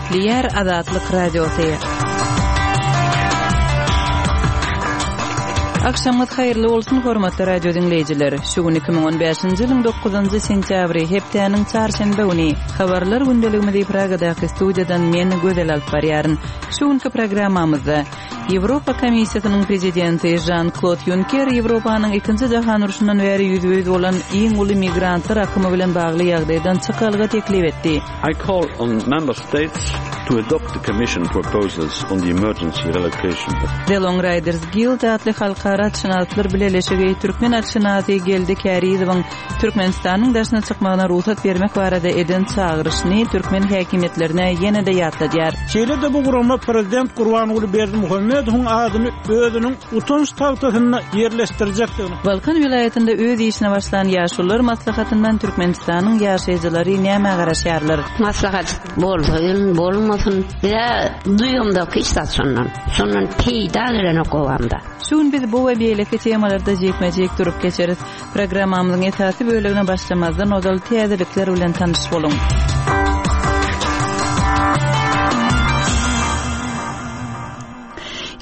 Gepleýär Azatlyk Radiosy. Agşamyňyz haýyrly bolsun, hormatly radio diňleýjiler. Şu gün 2015-nji ýylyň 9-njy sentýabry, hepdäniň çarşenbe güni. Habarlar gündeligimizi Pragadaky studiýadan men Gözel alyp barýaryn. Şu günki programmamyzda Ýewropa Komissiýasynyň prezidenti Žan-Klod Ýunker Ýewropanyň Ikinji jahan urşundan bäri ýüzbe-ýüz bolan iň uly migrantlar akymy bilen bagly ýagdaýdan çykalga teklip etdi. I call on Member States to adopt the Commission proposals on the emergency relocation of. The Long Riders Guild atly halkara atşynaslar bileleşigi türkmen atşynasy Geldi Kärizowyň Türkmenistanyň daşyna çykmagyna rugsat bermek barada eden çagyryşyny türkmen häkimiýetlerine ýene-de ýatladýar. Şeýle-de bu gurama prezident Gurbanguly Berdimuhamedowyň adyny özüniň utanç tagtasynda ýerleşdirjekdigini. Balkan welaýatynda öz işine başlan Ýaşulular maslahatyndan Türkmenistanyň ýaşaýjylary nämä garaşýarlar? Maslahat bolsun, bolmasyn, biz-ä duýamzok hiç zat şondan. Şondan peýda gelenok obamda. Şu gün biz bu we beýleki temalarda jikme-jik durup geçeris. Programmamyzyň esasy bölegine başlamazdan ozal täzelikler bilen tanyş boluň.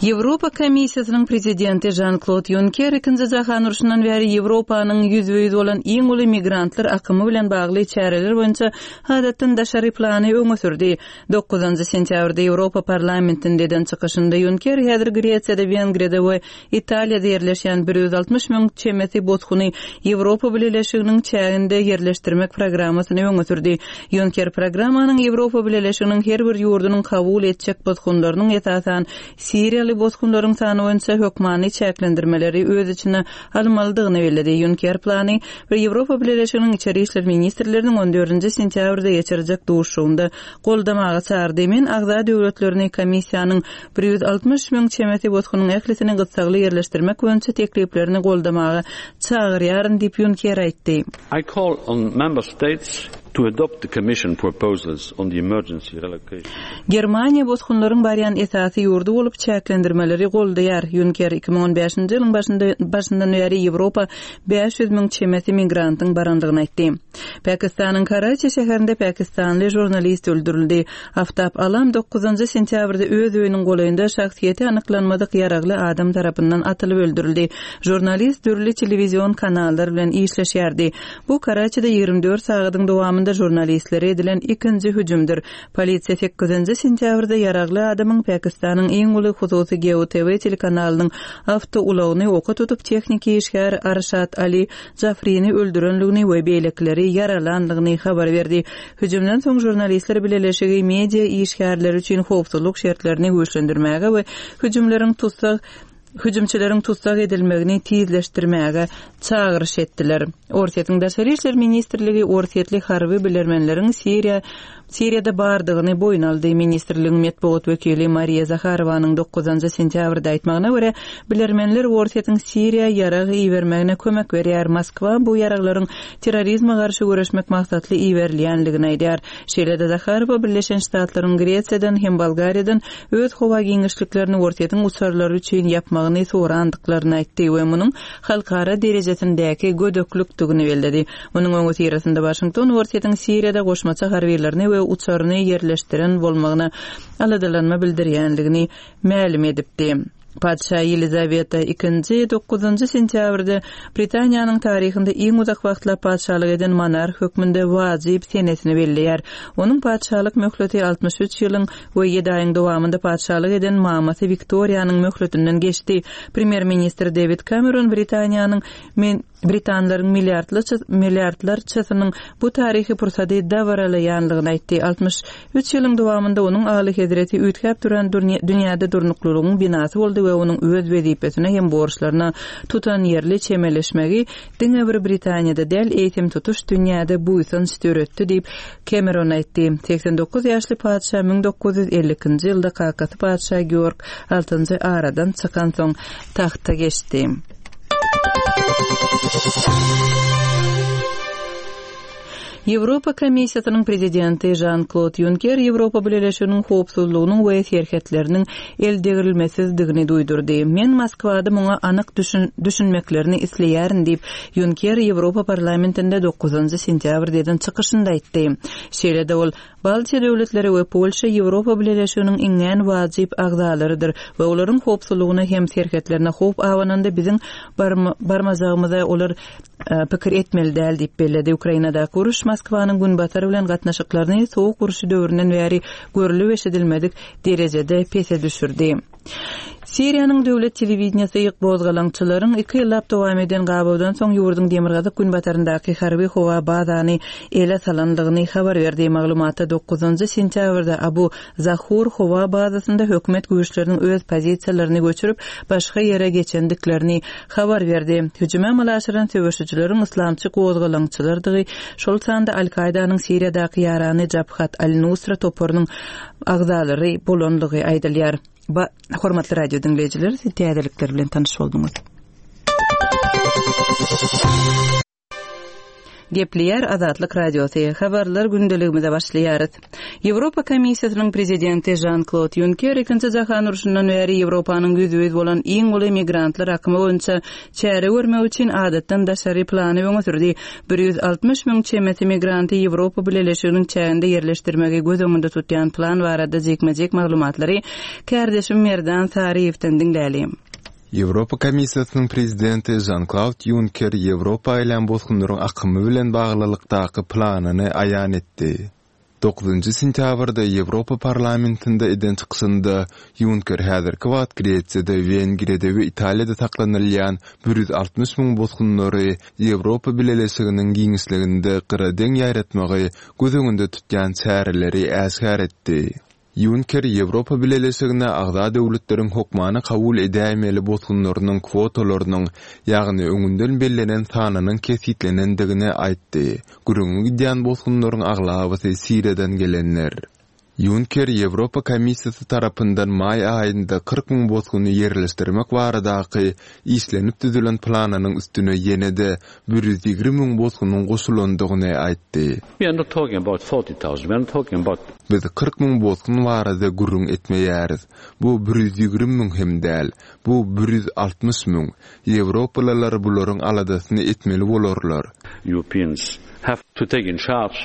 Ýewropa Komissiýasynyň prezidenti Žan-Klod Ýunker Ikinji jahan urşundan bäri Ýewropanyň ýüzbe-ýüz bolan iň uly migrantlar akymy bilen bagly çäreler boýunça adatdan daşary plany öňe sürdi. Dokuzynjy sentýabrda Ýewropa Parlamentinde eden çykyşynda Ýunker häzir Gresiýada, Wengriýada we Italiýada ýerleşýän 160 müň çemesi bosguny Ýewropa Bileleşiginiň çäginde ýerleşdirmek programmasyny öňe sürdi. Ýunker programmanyň Ýewropa Bileleşiginiň her bir ýurdunyň kabul etjek bosgunlarynyň, esasan, siriýaly bosgunlaryň sany boýunça hökmany çäklendirmeleri öz içine almalydygyny belledi. Ýunker plany we Ýewropa Bileleşiginiň içeri işler ministrleriniň on dördünji sentýabrda geçirjek duşuşygynda goldamaga çagyrdy. Men agza döwletlerini Komissiýanyň 160 müň çemesi bosgunyň ählisini gyssagly ýerleşdirmek boýunça tekliplerini goldamaga çagyrýaryn diýip, Ýunker aýtdy. I call on Member States to adopt the Commission proposals on the emergency relocation. Germaniýa bosgunlaryň barýan esasy ýurdy bolup, çäklendirmeleri goldaýar. Ýunker 2015-nji ýylyň başynda başyndan bäri Ýewropa 500 müň çemesi migrantyň barandygyny aýtdy. Pakistanyň Karaçi şäherinde pakistanly žurnalist öldürildi. Aftab Alam dokuzynjy sentýabrda öz öýüniň golaýynda şahsyýeti anyklanmadyk ýaragly adam tarapyndan atylyp öldürildi. Žurnalist dürli telewizion kanallar bilen işleşýärdi. Bu Karaçide 24 sagadyň dowamynda žurnalistlere edilen ikinji hüjümdir. Polisiýa sekizinji sentýabrda ýaragly adamyň Pakistanyň iň uly hususy Geo TV telekanalynyň awtoulagyny oka tutup tehniki işgär Arşad Ali Jafrini öldürenligini we beýlekileri ýaralandygyny habar berdi. Hüjümden soň Žurnalistler bileleşigi media işgärleri üçin howpsuzlyk şertlerini güýçlendirmäge we hüjümleriň tussag hüjümçileriň tussag edilmegini tizleşdirmäge çagyryş etdiler. Orsýetiň Daşary işler ministrligi orsýetli harby bilermenleriň Siriýa Siriýada bardygyny boýun aldy. Ministrligiň metbugat wekili Mariýa Zaharowanyň dokuzynjy sentýabrda aýtmagyna görä, bilermenler Orsýetiň Siriýa ýarag ibermegine kömek berýär, Moskwa bu ýaraglaryň terrorizme garşy göreşmek maksatly iberilýändigini aýdýar. Şeýle-de Zaharowa Birleşen Ştatlaryň Gresiýadan hem Bolgariýadan öz howa giňişliklerini Orsýetiň uçarlary üçin ýapmagyny sorandyklaryny aýtdy we munuň halkara derejesindäki gödeklikdigini belledi. Munuň öňüsyrasynda Waşington Orsýetiň Siriýada goşmaça harbylaryny we uçaryny ýerleşdiren bolmagyna aladalanma bildirýändigini mälim edipdi. Patyşa Ýelizaweta II dokuzynjy sentýabrda Britaniýanyň taryhynda iň uzak wagtlap patyşalyk eden monarh hökmünde wajyp senesini belleýär. Onuň patyşalyk möhleti 63 ýylyň we ýedi aýyň dowamynda patyşalyk eden mamasy Wiktoriýanyň möhletinden geçdi. Premýer-ministr Dewid Kameron Britaniýanyň Britanlaryň milliardlarçasynyň bu taryhy pursady dabaralaýanlygyny aýtdy. 63 ýylyň dowamynda onuň Alyhezreti üýtgäp duran dünýäde durnuklylygyň binasy boldy we onuň öz wezipesine hem borçlaryna tutanýerli çemeleşmegi diňe bir Britaniýada däl, eýsem tutuş dünýäde buýsanç döretdi diýip, Kemeron aýtdy. 89 ýaşly patyşa 1952-nji ýylda kakasy patyşa Georg Altynjy aradan çykansoň tagta geçdi. Ýewropa Komissiýasynyň prezidenti Žan-Klod Ýunker Ýewropa Bileleşiginiň howpsuzlygynyň we serhetleriniň eldegrilmesizdigini duýdurdy. Men Moskwada muňa anyk düşünmeklerini isleýärin diýip, Ýunker Ýewropa Parlamentinde dokuzynjy sentýabrda eden çykyşynda aýtdy. Şeýle-de ol. Baltiýa döwletleri we Polşa Ýewropa Bileleşiginiň iňňän wajyp agzalarydyr we olaryň howpsuzlygyna hem serhetlerine howp abananda biziň barmajagymyza olar pikir etmeli däl diýip belledi. Ukrainadaky uruş Moskwanyň Günbatar bilen gatnaşyklaryny Sowuk urşy döwründen bäri görlüp-eşidilmedik derejede pese düşürdi. Siriýanyň döwlet telewideniýesi gozgalaňçylaryň iki ýyllap dowam eden gabawdan soň ýurduň demirgazyk-günbataryndaky harby howa bazany ele salandygyny habar berdi. Maglumatda dokuzynjy sentýabrda Abu Zahur howa bazasynda hökümet güýçleriniň öz pozisiýalaryny göçürip, başga ýere geçendiklerini habar berdi. Hüjümi amala aşyran söweşijileriň yslamçy gozgalaňçylardygy, şol sanda Al-Kaýdanyň Siriýadaky ýarany Jabhat al-Nusra toparynyň agzalary bolandygy aýdylýar. Ba, hormatly radio diňleýjiler, siz täzelikler bilen tanyş bolduňyz. Gepleýär Azatlyk Radiosy. Habarlar gündeligimize başlaýarys. Ýewropa Komissiýasynyň prezidenti Žan-Klod Ýunker Ikinji jahan urşundan bäri Ýewropanyň ýüzbe-ýüz bolan iň uly migrantlar akymy boýunça çäre görmek üçin adatdan daşary plany öňe sürdi. 160 müň çemesi migranty Ýewropa Bileleşiginiň çäginde ýerleşdirmegi göz öňünde tutýan plan barada jikme-jik maglumatlary kärdeşim Merdan Saryýewden diňläli. Ýewropa Komissiýasynyň prezidenti Žan-Klaud Ýunker Ýewropa gelýän bosgunlaryň akymy bilen baglylykdaky planyny aýan etdi. Dokuzynjy sentýabrda Ýewropa Parlamentinde eden çykyşynda Ýunker häzirki wagt Gresiýada, Wengriýada we Italiýada saklanylýan 160 müň bosgunlary Ýewropa Bileleşiginiň giňişliginde gyradeň ýaýratmagy göz öňünde tutýan çäreleri äşgär etdi. Ýunker Ýewropa Bileleşigine agza döwletleriň hokmany kabul edäýmeli bosgunlarynyň kwotalarynyň, ýagny öňünden bellenen sanynyň kesgitlenendigini aýtdy. Gürrüňi gidýän bosgunlaryň aglabasy Siriýadan gelenler. Ýunker Ýewropa Komissiýasy tarapyndan maý aýynda 40 müň bosguny ýerleşdirmek baradaky işlenip düzülen planynyň üstüne ýene-de 120 müň bosgunyň goşulandygyny aýtdy. We are not talking about 40,000, we are not talking about. Biz 40 müň bosgun barada gürrüň etmeýäris. Bu 120 müň hem däl. Bu 160 müň. Ýewropalylar bularyň aladasyny etmeli bolarlar. Europeans have to take in charge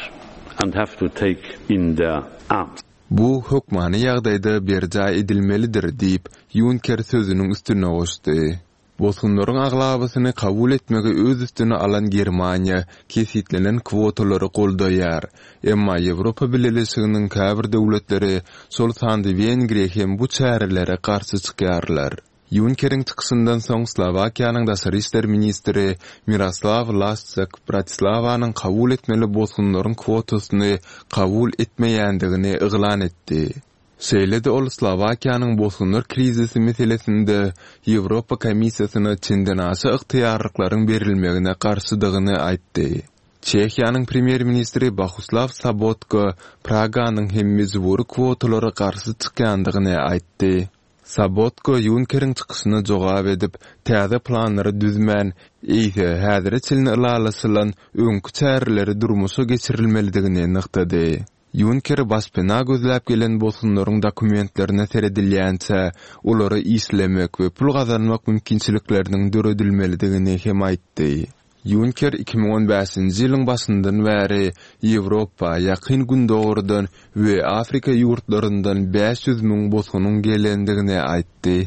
and have to take in their arms. Bu hökmany ýagdaýda berjaý edilmelidir diýip, Ýunker sözüniň üstüne goşdy. Bosgunlaryň aglabasyny kabul etmegi öz üstüne alan Germaniýa kesgitlenen kwotalary goldaýar. Emma Ýewropa Bileleşiginiň käbir döwletleri, şol sanda Wengriýa hem bu çärelere garşy çykýarlar. Ýunkeriň çykyşyndan soň Slowakiýanyň daşary işler ministri Miroslaw Lasçak Bratislawanyň kabul etmeli bosgunlaryň kwotasyny kabul etmeýändigini yglan etdi. Şeýle-de ol Slowakiýanyň bosgunlar krizisi meselesinde Ýewropa Komissiýasyna çendenaşa ygtyýarlyklaryň berilmegine garşydygyny aýtdy. Çehiýanyň premýer-ministri Bohuslaw Sobotka Praganyň hem mejbury kwotalara garşy çykýandygyny aýtdy. Sobotka Ýunkeriň çykyşyna jogap edip, täze planlary düzmän, eýse, häzire çenli ylalaşylan öňki çäreleri durmuşa geçirilmelidigini nygtady. Ýunker başpena gözläp gelen bosgunlaryň dokumentlerine seredilýänçä, olara işlemek we pul gazanmak mümkinçilikleriniň döredilmelidigini hem aýtdy. Ýunker 2015-nji ýylyň başyndan bäri Ýewropa, Ýakyn Gündogardan we Afrika ýurtlaryndan 500 müň bosgunyň gelendigini aýtdy.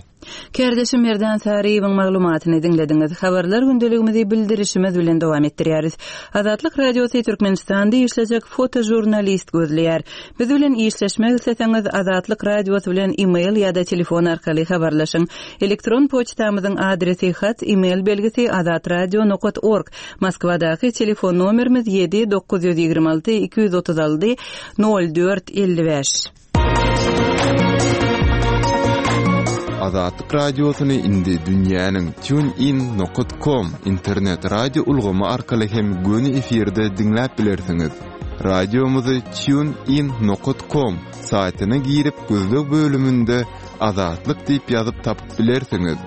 Kärdeşim Merdan Saryýewiň maglumatyny diňlediňiz. Habarlar gündeligimizi bildirişimiz bilen dowam etdirýäris. Azatlyk Radiosy Türkmenistanda işlejek fotožurnalist gözleýär. Biz bilen işleşmek isleseňiz Azatlyk Radiosy bilen e-mail ýa-da telefon arkaly habarlaşyň. Elektron poçtamyzyň adresi hat e-mail belgisi azatradio nokat org. Moskwadaky telefon nomerimiz 7 926 236 04 55. Azatlyk Radiosyny indi dünýäniň TuneIn nokat kom internet radio ulgamy arkaly hem göni efirde diňläp bilersiňiz. Radiomyzy TuneIn nokat kom saýtyna girip gözleg bölüminde Azatlyk diýip ýazyp tapyp bilersiňiz.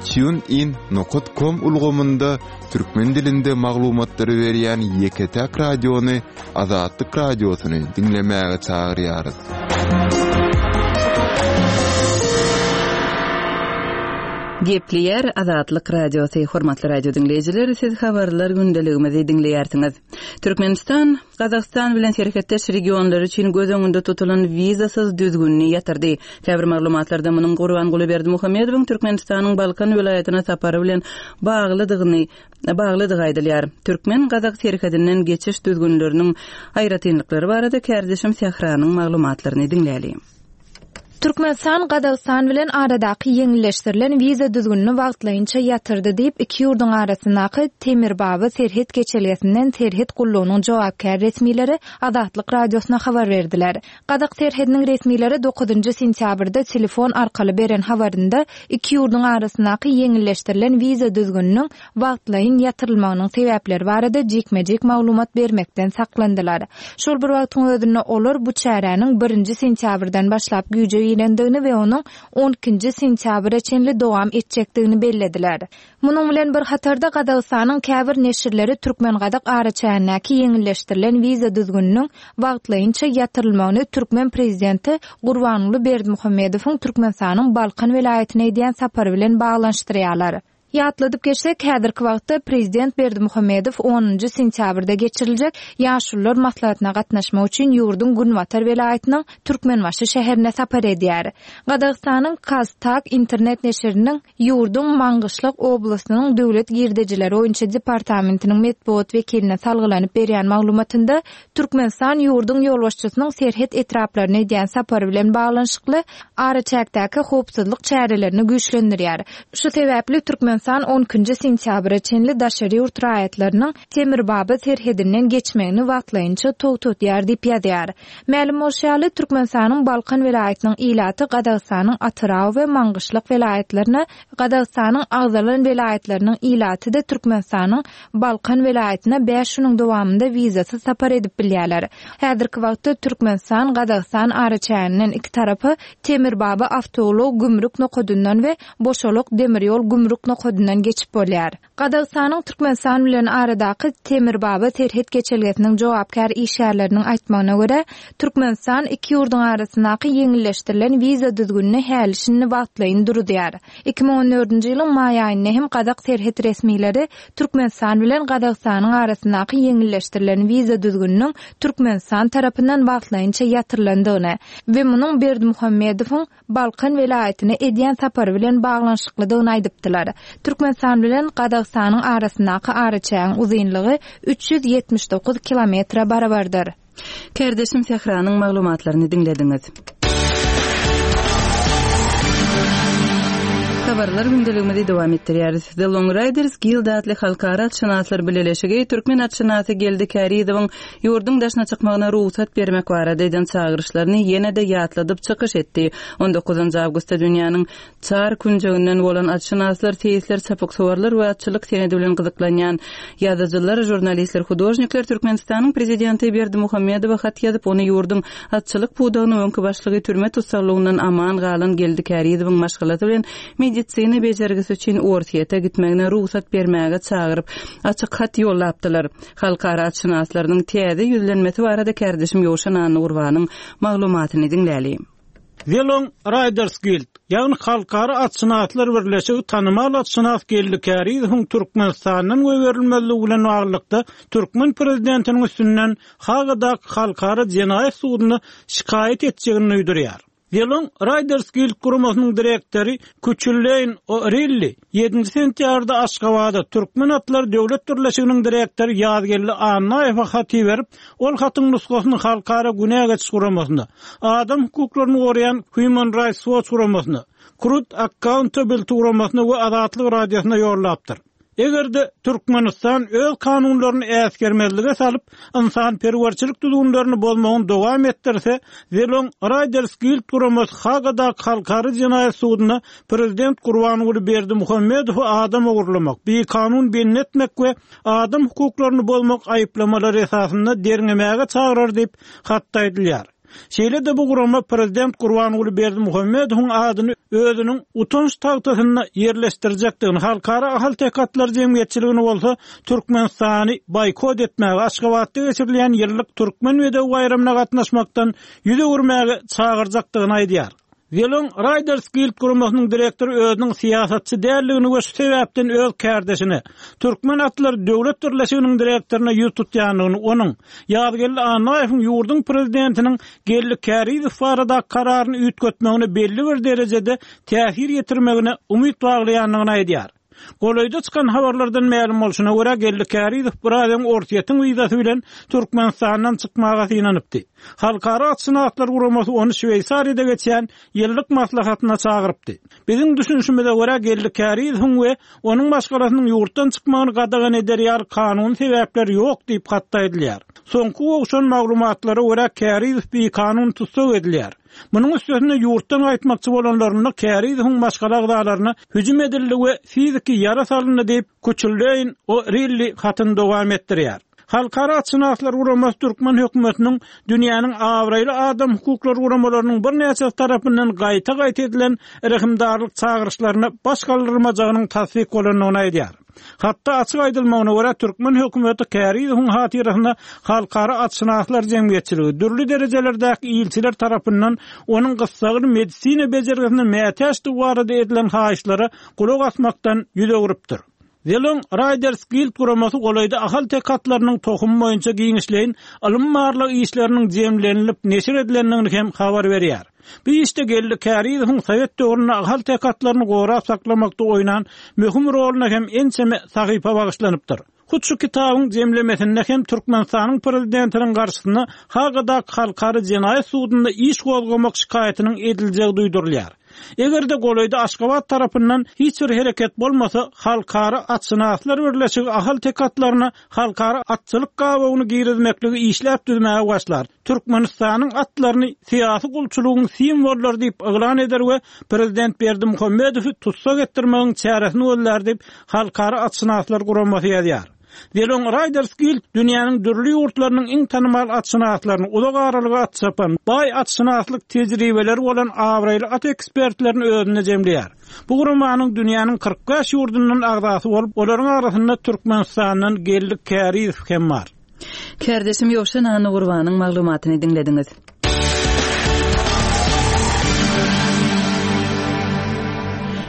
TuneIn nokat kom ulgamynda türkmen dilinde maglumatlary berýän ýeke-täk radiony Azatlyk Radiosyny diňlemäge çagyrýarys. Gepleýär Azatlyk Radiosy, Hormatly radio diňleýjiler, siz habarlar gündeligimizi diňleýärsiňiz. Türkmenistan Gazagystan bilen serhetdeş regionlar üçin göz öňünde tutulan wizasyz düzgünini ýatyrdy. Käbir maglumatlarda munuň Gurbanguly Berdimuhamedowyň Türkmenistanyň Balkan welaýatyna sapary bilen baglydygyny baglydygy aýdylýar. Türkmen-gazak serhedinden geçiş düzgünleriniň aýratynlyklary barada kärdeşim Sähranyň maglumatlaryny diňläliň. Türkmenistan Gazagystan bilen aradaky ýeňilleşdirilen wiza düzgünini wagtlaýynça ýatyrdy diýip, iki ýurduň arasyndaky Temirbaba serhet geçelgesinden serhet gullugynyň jogapkär resmileri Azatlyk Radiosyna habar berdiler. Gazak serhediniň resmileri dokuzynjy sentýabrda telefon arkaly beren habarynda iki ýurduň arasyndaky ýeňilleşdirilen wiza düzgüniniň wagtlaýyn ýatyrylmagynyň sebäpleri barada jikme-jik maglumat bermekden saklandylar. Şol bir wagtyň özünde olar bu çäräniň birinji sentýabrdan başlap güýje girendigini we onuň on ikinji sentýabra çenli dowam etjekdigini bellediler. Munuň bilen bir hatarda Gazagystanyň käbir neşirleri türkmen-gazak araçägindäki ýeňilleşdirilen wiza düzgüniniň wagtlaýynça ýatyrylmagyny türkmen prezidenti Gurbanguly Berdimuhamedowyň Türkmenistanyň Balkan welaýatyna edýän sapary bilen baglanyşdyrýarlar. Ýatladyp geçsek, häzirki wagtda prezident Berdimuhamedow onunjy sentýabrda geçiriljek Ýaşulular maslahatyna gatnaşmak üçin ýurduň günbatar welaýatynyň Türkmenbaşy şäherine sapar edýär. Gazagystanyň KazTAG internet neşiriniň ýurduň Maňgyşlak oblastynyň döwlet girdejileri boýunça departamentiniň metbugat wekiline salgylanyp berýän maglumatynda Türkmenistan ýurduň ýolbaşçysynyň serhet etraplaryna edýän sapary bilen baglanyşykly araçäkdäki howpsuzlyk çärelerini güýçlendirýär. Şu sebäpli Türkmenistan on ikinji sentýabra çenli daşary ýurt raýatlarynyň Temirbaba serhedinden geçmegini wagtlaýynça togtatýar diýip ýazýar. Mälim bolşy ýaly, Türkmenistanyň Balkan welaýatynyň ilaty Gazagystanyň Atyrau we Maňgyşlak welaýatlaryna, Gazagystanyň agzalan welaýatlarynyň ilaty-da Türkmenistanyň Balkan welaýatyna bäş günüň dowamynda wizasyz sapar edip bilýärler. Häzirki wagtda Türkmenistan, Gazagystan araçäginden iki tarapa Temirbaba awtoulag gümrük nokadyndan we Boşalak demir ýol gümrük nokadyndan geçip bolýar. Gazagystanyň Türkmenistan bilen aradaky Temirbaba serhet geçelgesiniň jogapkär işgärleriniň aýtmagyna görä, Türkmenistan iki ýurduň arasyndaky ýeňilleşdirilen wiza düzgünini häli-şindi wagtlaýyn duruzýar. 2014-nji ýylyň maý aýynda hem gazak serhet resmileri Türkmenistan bilen Gazagystanyň arasyndaky ýeňilleşdirilen wiza düzgüniniň Türkmenistan tarapyndan wagtlaýynça ýatyrylandygyny we munuň Berdimuhamedowyň Balkan welaýatyna edýän sapary bilen baglanyşyklydygyny aýdypdylar. Türkmenistan bilen Gazagystanyň arasyndaky araçägiň uzynlygy 379 kilometre barabardyr. Kärdeşim Sähranyň maglumatlaryny diňlediňiz. Habarlar gündeligimizi dowam etdirýäris. The Long Riders Guild atly halkara atşynaslar bileleşigi türkmen atşynasy Geldi Kärizowyň ýurduň daşyna çykmagyna rugsat bermek barada eden çagyryşlaryny ýene-de ýatladyp çykyş etdi. On dokuzynjy awgustda dünýäniň Çar künjeginden bolan atşynaslar, seýisler, çapyksuwarlar we atçylyk senedi bilen gyzyklanýan ýazyjylar, žurnalistler, hudožnikler Türkmenistanyň Prezidenti Berdimuhamedowa hat ýazyp, ony ýurduň atçylyk pudagynyň öňki başlygy, türme tussaglygyndan aman galan Geldi Kärizowyň maşgalasy bilen medisina bejergisi üçin Orsýete gitmegine rugsat bermäge çagyryp, açyk hat ýollapdylar. Halkara atşynaslarynyň täze ýüzlenmesi barada kärdeşim Ýowşan Annagurbanyň maglumatyny diňläli. The Long Riders Guild, ýagny Halkara atşynaslar birleşigi tanymal atşynas Geldi Kärizowyň Türkmenistandan goýberilmezligi bilen baglylykda türkmen prezidentiniň üstünden Hagadaky Halkara jenaýat sudunda şikaýat etjegini duýdurýar. The Long Riders Guild guramasynyň direktory Küçülleýn O'Rilli Ýedinji sentýabrda Aşgabatda Türkmen atlary döwlet birleşiginiň direktory Ýazgeldi Annaýewe hat iberip, ol hatyň nusgasyny Halkara günä geçiş guramasyna, adam hukuklaryny goraýan Human Rights Watch guramasyna, Truth Accountability guramasyna we Azatlyk Radiosyna ýollapdyr. Eger-de Türkmenistan öz kanunlaryny äsgermezlige salyp, ynsanperwerçilik düzgünlerini bozmagyny dowam etdirse, The Long Riders Guild guramasy Hagadaky Halkara jenaýat sudunda prezident Gurbanguly Berdimuhamedowy adam ogurlamak, bikanun bendi etmek we adam hukuklaryny bozmak aýyplamalary esasynda derňemäge çagyrar diýip, hatda aýdylýar. Şeýle-de bu gurama prezident Gurbanguly Berdimuhamedowyň adyny özüniň utanç tagtasynda ýerleşdirjekdigini, Halkara ahalteke atlary jemgyýetçiligini bolsa Türkmenistany boýkot etmäge, Aşgabatda geçirilýän ýyllyk Türkmen bedewi baýramyna gatnaşmakdan ýüz öwürmäge çagyrjakdygyny aýdýar. Zelon Riders Guild guramasynyň direktory özüniň syýasatçy däldigini we şu sebäpden öz kärdeşine, Türkmen atlary döwlet birleşiginiň direktoryna ýüz tutýandygyny, onuň, Ýazgeldi Annaýewiň ýurduň prezidentiniň Geldi Kärizow baradaky kararyny üýtgetmegine belli bir derejede täsir ýetirmegine umyt baglaýandygyny aýdýar. Golaýda çykan habarlardan mälim bolşuna görä, Geldi Kärizow biraz öň Orsýetiň wizasy bilen Türkmenistandan çykmaga synanypdy. Halkara atşynaslar guramasy ony Şweýsariýada geçýän ýyllyk maslahatyna çagyrypdy. Biziň düşünişimize görä, Geldi Kärizowyň we onuň maşgalasynyň ýurtdan çykmagyny gadagan eder ýaly kanuny sebäpler ýok diýip, hatda aýdylýar. Soňky gowşan maglumatlara görä, Kärizow bikanun tussag edilýär. Munuň üstesine ýurtdan gaýtmakçy bolanlarynda Kärizowyň maşgala agzalaryna hüjüm edildi we fiziki ýara salyndy diýip, Kuçulleýn O'Rilli hatyny dowam etdirýär. Halkara atşynaslar guramasy türkmen hökümetiniň dünýäniň abraýly adam hukuklary guramalarynyň birnäçesi tarapyndan gaýta-gaýta edilen rehimdarlyk çagyryşlaryna baş galdyrmajagynyň tassyk bolandygyny aýdýar. Hatda açyk aýdylmagyna görä, türkmen hökümeti Kärizowyň hatyrasyna halkara atşynaslar jemgyýetçiligi, dürli derejelerdäki ilçiler tarapyndan onuň gyssagly medisina bejergisine mätäçdigi barada edilen haýyşlara gulak asmakdan ýüz öwrüpdir. Zelon Riders Guild guramasy golaýda ahalteke atlarynyň tohumy boýunça giňişleýin ylmy-barlag işleriniň jemlenilip neşir edilendigini hem habar berýär. Bu işde Geldi Kärizowyň sowet döwründe ahalteke atlaryny gorap saklamakda oýnan möhüm roluna hem ençeme sahypa bagyşlanypdyr. Hut şu kitabyň jemlemesinde hem Türkmenistanyň Prezidentiniň garşysyna Hagadaky Halkara jenaýat sudunda iş gozgamak şikaýatynyň ediljegi duýdurylýar. Eger-de golaýda Aşgabat tarapyndan hiç bir hereket bolmasa, Halkara atşynaslar birleşigi ahalteke atlaryna halkara atçylyk gabawyny girizmekligi işläp düzmäge başlar, Türkmenistanyň atlaryny syýasy gulçulygyň simwollary diýip yglan eder we prezident Berdimuhamedowy tussag etdirmegiň çäresini gözlär diýip, Halkara atşynaslar guramasy ýazýar. Zelon Riders Guild dünýäniň dürli ýurtlarynyň iň tanymal atşynaslaryny, uzak aralyga at çapan, baý atşynaslyk tejribeleri bolan abraýly at ekspertlerini özünde jemleýär. Bu guramanyň dünýäniň 45 ýurdundan agzasy bolup, olaryň arasynda Türkmenistandan Geldi Kärizow hem bar. Kärdeşim Ýowşan Annagurbanyň maglumatyny diňlediňiz.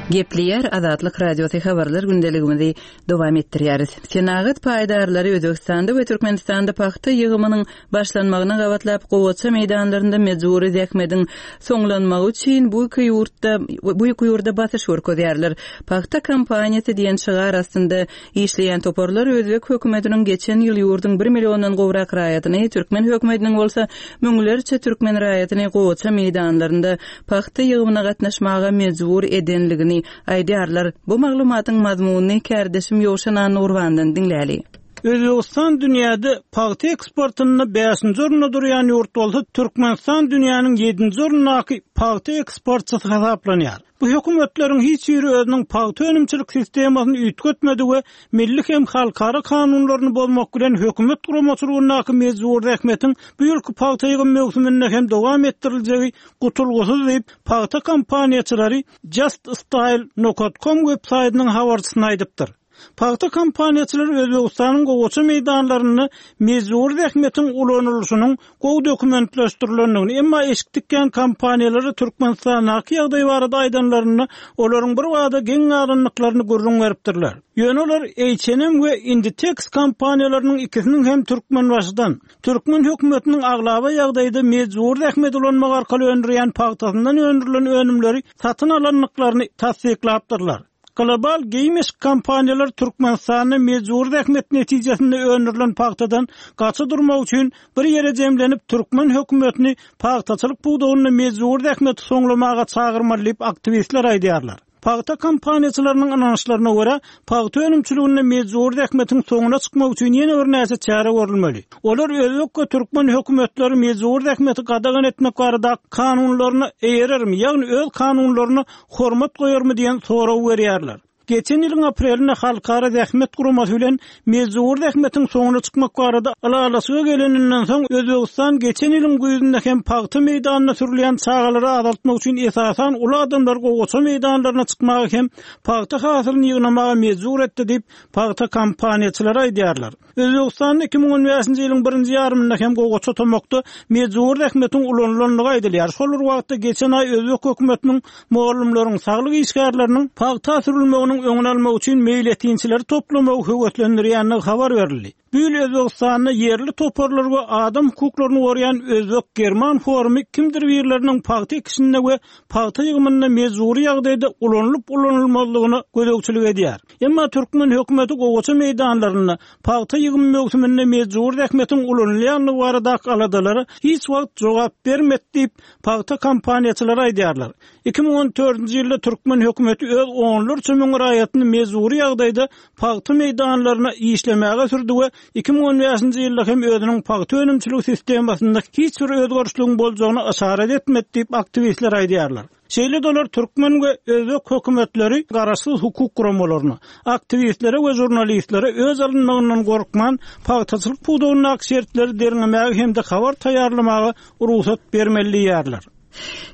Gepleýär Azatlyk Radiosy habarlar gündeligimizi dowam etdirýäris. Senagat paýdarlary Özbegistanda we Türkmenistanda pagta ýygymynyň başlanmagyna gabatlap gowaça meýdanlarynda mejbury zähmediň soňlanmagy üçin bu iki ýurtda bu iki ýurda basyş görkezýärler. Pagta kampaniýasy diýen şygar astynda Işleýän toparlar özbek hökümetiniň geçen ýyl ýurduň bir milliondan gowrak raýatyny, türkmen hökümetiniň bolsa müňlerçe türkmen raýatyny gowaça meýdanlarynda pagta ýygymyna gatnaşmaga mejbur edenligini aýdýarlar. Bu maglumatyň mazmunyny kärdeşim Ýowşan Annagurbandan diňläli. Özbegistan dünýäde pagta eksportynda bäşinji orunda durýan ýurt bolsa, Türkmenistan dünýäniň ýedinji orundaky pagta eksportçysy hasaplanýar. Bu hökümetleriň hiç biri özüniň pagta önümçilik sistemasyny üýtgetmedi we milli hem halkara kanunlaryny bozmak bilen hökümet guramaçylygyndaky mejbury zähmetiň bu ýylky pagta ýygym möwsüminde hem dowam etdiriljegi gutulgysyz diýip, pagta kompaniýaçylary JustStyle nokat kom websaýtynyň habarçysyna aýdypdyr. Pagta kompaniýaçylary Özbegistanyň gowaça meýdanlarynda mejbury zähmetiň ulanylyşynyň gowy dokumentleşdirilendigini, emma eşik tikýän kompaniýalara Türkmenistandaky ýagdaý barada aýdanlarynda, olaryň birbada geň galandyklaryny gürrüň beripdirler. Ýöne olar H&M we Inditex kompaniýalarynyň ikisiniň hem Türkmenbaşydan, türkmen hökümetiniň aglaba ýagdaýda mejbury zähmet ulanmak arkaly öndürýän pagtasyndan öndürilen önümleri satyn alandyklaryny tassyklapdyrlar. Global geýim-eşik kompaniýalary Türkmenistanda mejbury zähmet netijesinde öndürilen pagtadan gaça durmak üçin bir ýere jemlenip, türkmen hökümetini pagtaçylyk pudagynda mejbury zähmeti soňlamaga çagyrmaly diýip, aktiwistler aýdýarlar. Pagta kompaniýaçylarynyň ynançlaryna görä, pagta önümçiliginde mejbury zähmetiň soňuna çykmak üçin ýene birnäçe çäre görülmeli. Olar özbek we türkmen hökümetleri mejbury zähmeti gadagan etmek barada kanunlaryna eýerermi, ýagny öz kanunlaryna hormat goýarmy diýen soragy berýärler. Geçen ýylyň aprelinde Halkara zähmet guramasy bilen mejbury zähmetiň soňuna çykmak barada ylalaşyga geleninden soň, Özbegistan geçen ýylyň güýzünde hem pagta meýdanyna sürülýän çagalary azaltmak üçin esasan uly adamlary gowaça meýdanlaryna çykmaga hem pagta hasylyny ýygnamaga mejbur etdi diýip, pagta kompaniýaçylary aýdýarlar. Özbegistanda 2015-nji ýylyň birinji ýarymynda hem gowaça tomakda mejbury zähmetiň ulanylandygy aýdylýar. Şol bir wagtda, geçen aý özbek hökümetiniň mugallymlaryň, saglyk işgärleriniň pagta sürülmeginiň öňüni almak üçin meýletinçileri toplamagy höweslendirýändigi habar berildi. Bu ýyl Özbegistanda ýerli toparlar we adam hukuklaryny goraýan özbek-german forumy kimdir birleriniň pagta ekişinde we pagta ýygymynda mejbury ýagdaýda ulanylyp-ulanylmazlygyna gözegçilik edýär. Emma türkmen hökümeti gowaça meýdanlarynda pagta ýygymy möwsüminde mejbury zähmetiň ulanylýandygy baradaky aladalara hiç wagt jogap bermedi diýip, pagta kompaniýaçylary aýdýarlar. 2014-nji ýylda türkmen hökümeti öz onlarça müň raýatyny mejbury ýagdaýda pagta meýdanlaryna işlemäge sürdi we 2015-nji ýylda hem özüniň pagta önümçiligi sistemasynda hiç bir özgerişligiň boljagyna yşarat etmedi diýip, aktiwistler aýdýarlar. Şeýle-de olar türkmen we özbek hökümetleri garaşsyz hukuk guramalaryna, aktiwistlere we žurnalistlere öz alynmagyndan gorkman, pagtaçylyk pudagyndaky şertleri derňemäge hem-de habar taýýarlamaga rugsat bermeli diýýärler.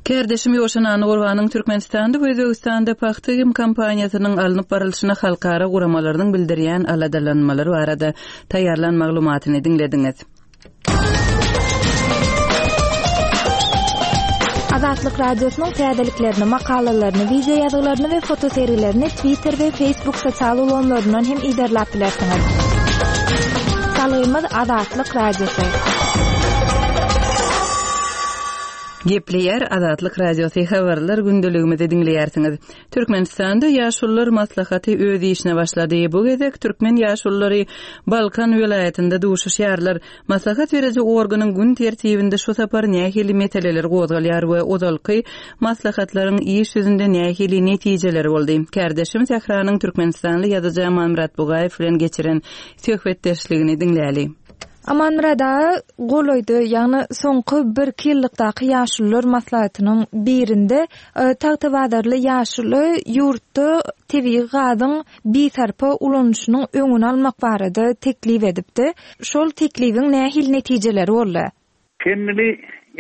Kärdeşim Ýowşan Annagurbanyň Türkmenistanda we Özbegistanda pagta ýygym kampaniýasynyň alnyp barylşyna halkara guramalarynyň bildirýän aladalanmalary barada taýýarlan maglumatyny diňlediňiz. Azatlyk Radiosynyň täzeliklerini, makalalaryny, wideo ýazgylaryny we fotosergilerini Twitter we Facebook sosial ulgamlaryndan hem yzarlap bilersiňiz. Salgymyz Azatlyk Radiosy. Gepleýär Azatlyk Radiosy habarlar gündeligimizi diňleýärsiňiz. Türkmenistanda Ýaşulular maslahaty öz işine başlady. Bu gezek türkmen ýaşululary Balkan welaýatynda duşuşýarlar. Maslahat beriji organyň gün tertibinde şu sapar nähili meseleler gozgalýar we ozalky maslahatlaryň iş ýüzünde nähili netijeleri boldy? Kärdeşim Sähranyň türkmenistanly ýazyjy Amanmyrat Bugaýew bilen geçiren söhbetdeşligini diňläli. Amanmyrat aga, golaýda, ýagny soňky birki ýyllykdaky ýaşulular maslahatynyň birinde tagtabazarly ýaşuly ýurtda tebigy gazyň bisarpa ulanyşynyň öňüni almak barada teklip edipdi. Şol teklibiň nähili netijeleri boldy? Kendini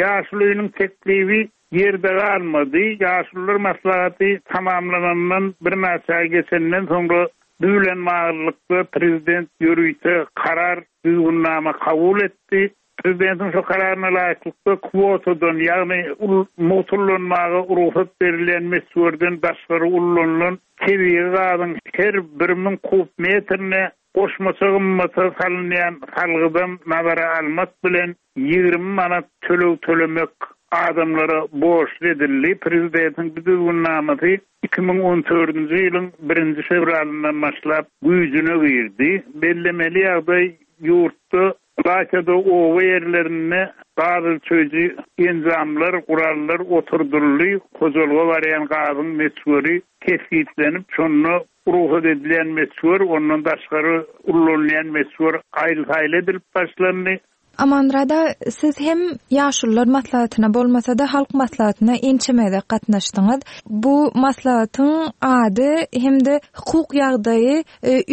ýaşulynyň teklibi ýerde galmady. Ýaşulular maslahaty tamamlanandan birnäçe aý geçenden soňra bu bilen baglylykda prezident ýörite karar, düzgünnama kabul etdi. Prezidentiň şu kararyna laýyklykda kwotadan, ýagny mugt ullanmaga rugsat berilýän möçberden daşgary ullanylan tebigy gazyň her 1000 kub metrine goşmaça gymmata salynýan salgydam nazara almak bilen 20 manat töleg tölemek adamlara borçly edildi. Prezidentiň bu düzgünnamasy 2014-nji ýylyň birinji fewralyndan başlap güýjüne girdi. Bellemeli ýagdaý, ýurtda, ylaýta-da oba ýerlerinde gaz ölçeýji enjamlar, gurallar oturdyldy, hojalyga barýan gazyň möçberi kesgitlenip, şonda rugsat edilýän möçber, ondan daşgary ullanylýan möçber aýyl-saýyl edilip başlandy. Amanmyrat aga, siz hem Ýaşulular maslahatyna bolmasa-da, Halk maslahatyna ençeme gezek gatnaşdyňyz. Bu maslahatyň ady hem-de hukuk ýagdaýy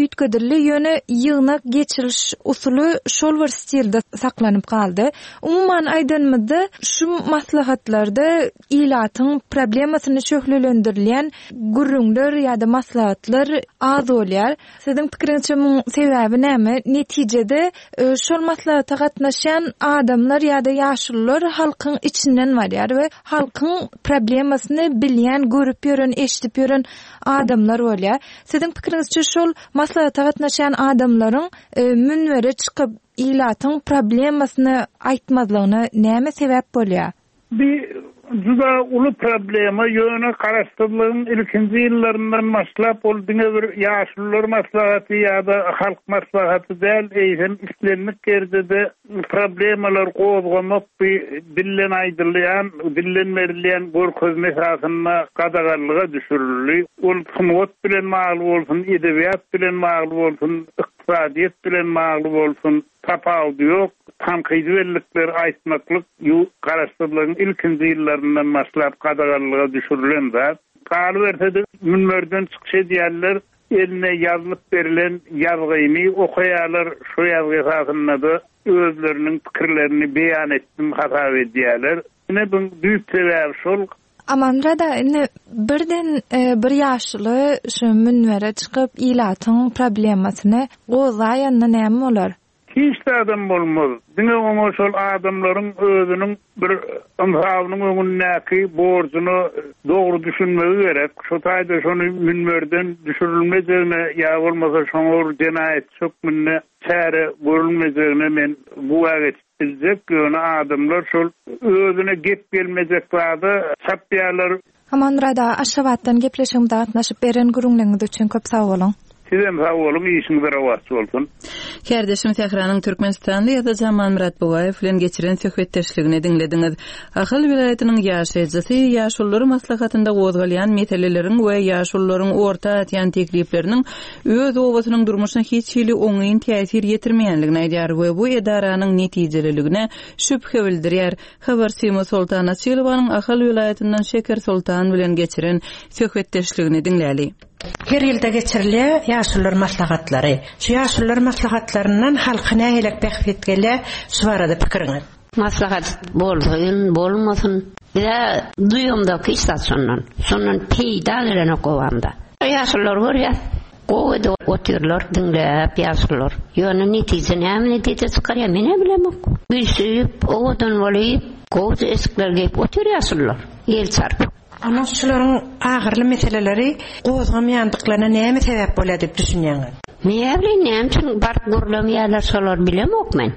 üýtgedildi, ýöne ýygnak geçiriş usuly şol bir stilde saklanyp galdy. Umuman aýdanymyzda, şu maslahatlarda ilatyň problemasyny şöhlelendirilýän gürrüňler ýa-da maslahatlar az bolýar. Siziň pikiriňizçe muň sebäbi näme? Netijede şol maslahata gatnaşýan adamlar ýa-da ýaşulular halkyň içinden barýar we halkyň problemasyny bilýän, görüp ýören, eşidip ýören adamlar bolýar. Siziň pikiriňizçe şol maslahata gatnaşýan adamlaryň münbere çykyp ilatyň problemasyny aýtmazlygyna näme sebäp bolýar? Bi juda uly problema, ýöne garaşsyzlygyň ilkinji ýyllaryndan başlap ol diňe bir Ýaşulular maslahaty ýa-da Halk maslahaty däl, eýsem islendik ýerde-de problemalar gozgamak bi dilden aýdylýan, dilden berilýän görkezme esasynda gadaganlyga düşürildi. Ol sungat bilen bagly bolsun, edebiýat bilen bagly bolsun, ykdysadyýet bilen bagly bolsun, Tapawudy ýok, tankydy bellikleri aýtmaklyk ýurt Garaşsyzlygyň ilkinji ýyllaryndan başlap gadaganlyga düşürilen zat. Galyberse-de, münberden çykyş edýänler eline ýazylyp berlen ýazgyny okaýarlar, şo ýazgy esasynda-da özleriniň pikirlerini beýan etdim hasap edýärler. Ine, buň düýp sebäbi şol. Amanmyrat aga, indi birden bir ýaşuly şu münbere çykyp ilatyň problemasyny gozgaýanda näme bolar? Hiç zadam bolmaz. Diňe oňa şol adamlaryň özüniň bir ynsabynyň öňündäki borjuna dogry düşünmegi gerek. Şo taýda şony münberden düşürilmejegine ýa bolmasa şoňa bir jenaýatçy hökmünde çäre görülmejegine men güwä geçip biljek. Ýöne adamlar şol özüne gep gelmejek zada çapýarlar. Amanmyrat aga Aşgabatdan gepleşigimize gatnaşyp beren gürrüňleriňiz üçin köp sag boluň. Sizem sag boluň işiňiz rowaç bolsun. Kärdeşim Sähranyň türkmenistanly ýazyjy Amanmyrat Bugaýew bilen geçiren söhbetdeşligini diňlediňiz. Ahal welaýatynyň ýaşaýjysy Ýaşulular maslahatynda gozgalýan meseleleriň we ýaşulularyň orta atýan teklipleriniň öz obasynyň durmuşyna hiç hili oňyn täsir ýetirmeýänligini aýdýar we bu edaranyň netijeliligine şübhe bildirýär. Habarçymyz Soltan Açylowanyň Ahal welaýatyndan Şeker Soltan bilen geçiren söhbetdeşligini diňläli. Her ýylda geçirilýär ýaşulular maslahatlary. Şu ýaşulular maslahatlaryndan halka nähilek bähbit gelýär, şu barada pikiriňiz? Maslahat bolsyn, bolmasyn. Biz-ä duýamzok hiç zat şondan. Şondan peýda gelenok obamda. Ýaşululary görýäs. Gowy edip otyrlar diňläp ýaşulular. Ýöne netije näme netije çykarýar menä bilemok. Üýşüp, owadan bolyp, gowja eşikler geýip otyr ýaşulular. El çarpyp. Onda şularyň agyrly meseleleri gozgamaýandyklaryna näme sebäp bolýar diýip düşünýäňiz? Näbileýin näme üçin baryp gürlemeýärler şolary bilemok men.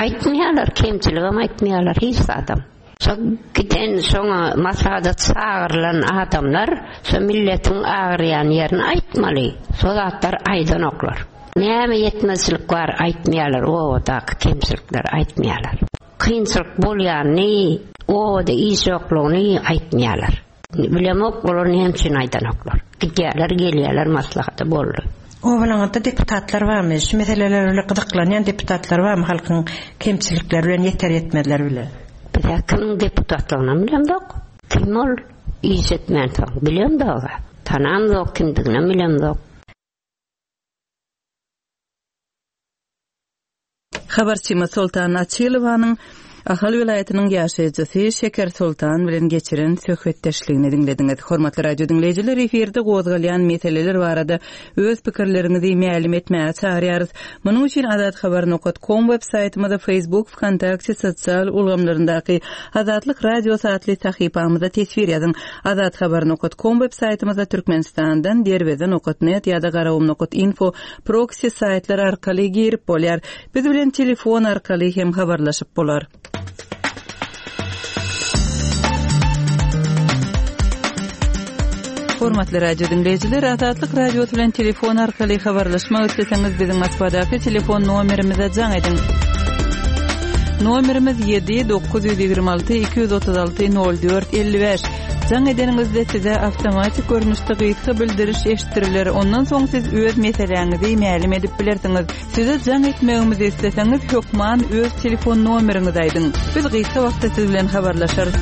Aýtmaýarlar kemçiligem aýtmaýarlar hiç zadam. Şo giden şoňa maslahata çagyrylan adamlar şo milletiň agyrýan ýerini aýtmaly. Şo zatlary aýdanoklar. Näme ýetmezçilik bar aýtmaýarlar obadaky kemçilikleri aýtmaýarlar. Kynçylyk bolýanyny, obada iş ýoklugyny aýtmaýarlar. Bilemok olar näme üçin aýdanoklar. Gidýärler gelýärler maslahata boldy. Obalaňyzda deputatlar barmy? Şu meseleler bilen gyzyklanýan deputatlar barmy halkyň kemçilikleri bilen ýeter ýetmezleri bilen? Bizä kimiň deputatlygynam bilemzok. Kim ol? Iş etmänsoň bilemzog-a. Tanamzok kimdiginem bilemzok. Habarçymyz Soltan Açylowanyň Ahal welaýatynyň ýaşaýjysy Şeker Soltan bilen geçiren söhbetdeşligini diňlediňiz. Hormatly radio diňleýjiler, efirde gozgalýan meseleler barada öz pikirleriňizi mälim etmäge çagyrýarys. Munuň üçin azathabar nokat kom web saýtymyza, Facebook, Wkontakte sosial ulgamlaryndaky Azatlyk Radiosy atly sahypamyza teswir ýazyň. Azathabar nokat kom web saýtymyza Türkmenistandan Derweze nokat net ýa-da Garagum nokat info Proksi saýtlar arkaly girip bolýar. Biz bilen telefon arkaly hem habarlaşyp bolar. Hormatly radio diňleýjiler, Azatlyk Radiosy bilen telefon arkaly habarlaşmak isleseňiz, biziň Moskwadaky telefon nomerimize jaň ediň. Nomerimiz 7 926 236 04 55. Jaň edeniňizde size awtomatik görnüşde gysga bildiriş eşitdiriler, ondan soň siz öz meseläňizi mälim edip bilersiňiz. Size jaň etmegimizi isleseňiz, hökman öz telefon nomeriňizi aýdyň. Biz gysga wagtda siz bilen habarlaşarys.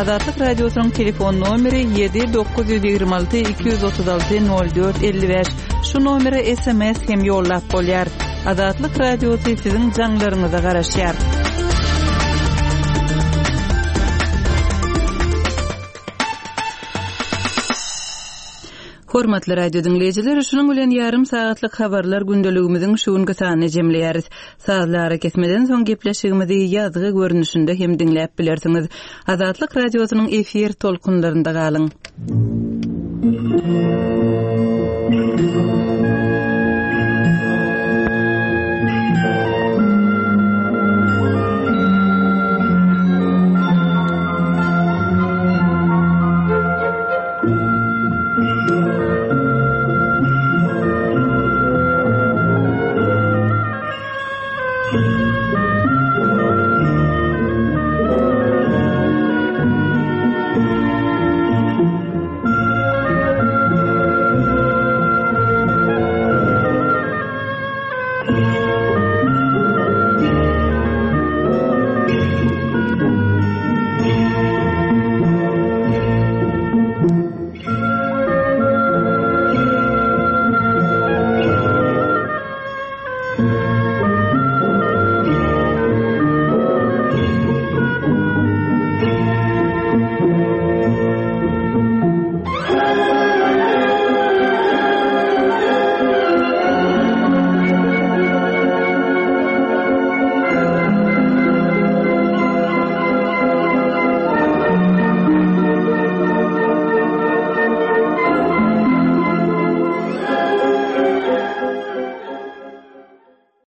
Azatlyk Radiosynyň telefon nomeri 7 926 236 04 55. Şu nomere sms hem ýollap bolýar. Azatlyk Radiosy siziň jaňlaryňyza garaşýar. Hormatly radio diňleýjiler, şunuň bilen ýarym sagatlyk habarlar gündeligimiziň şu günki sanyny jemleýäris. Sazly arakesmeden soň gepleşigimizi ýazgy görnüşinde hem diňläp bilersiňiz. Azatlyk Radiosynyň efir tolkunlarynda galyň.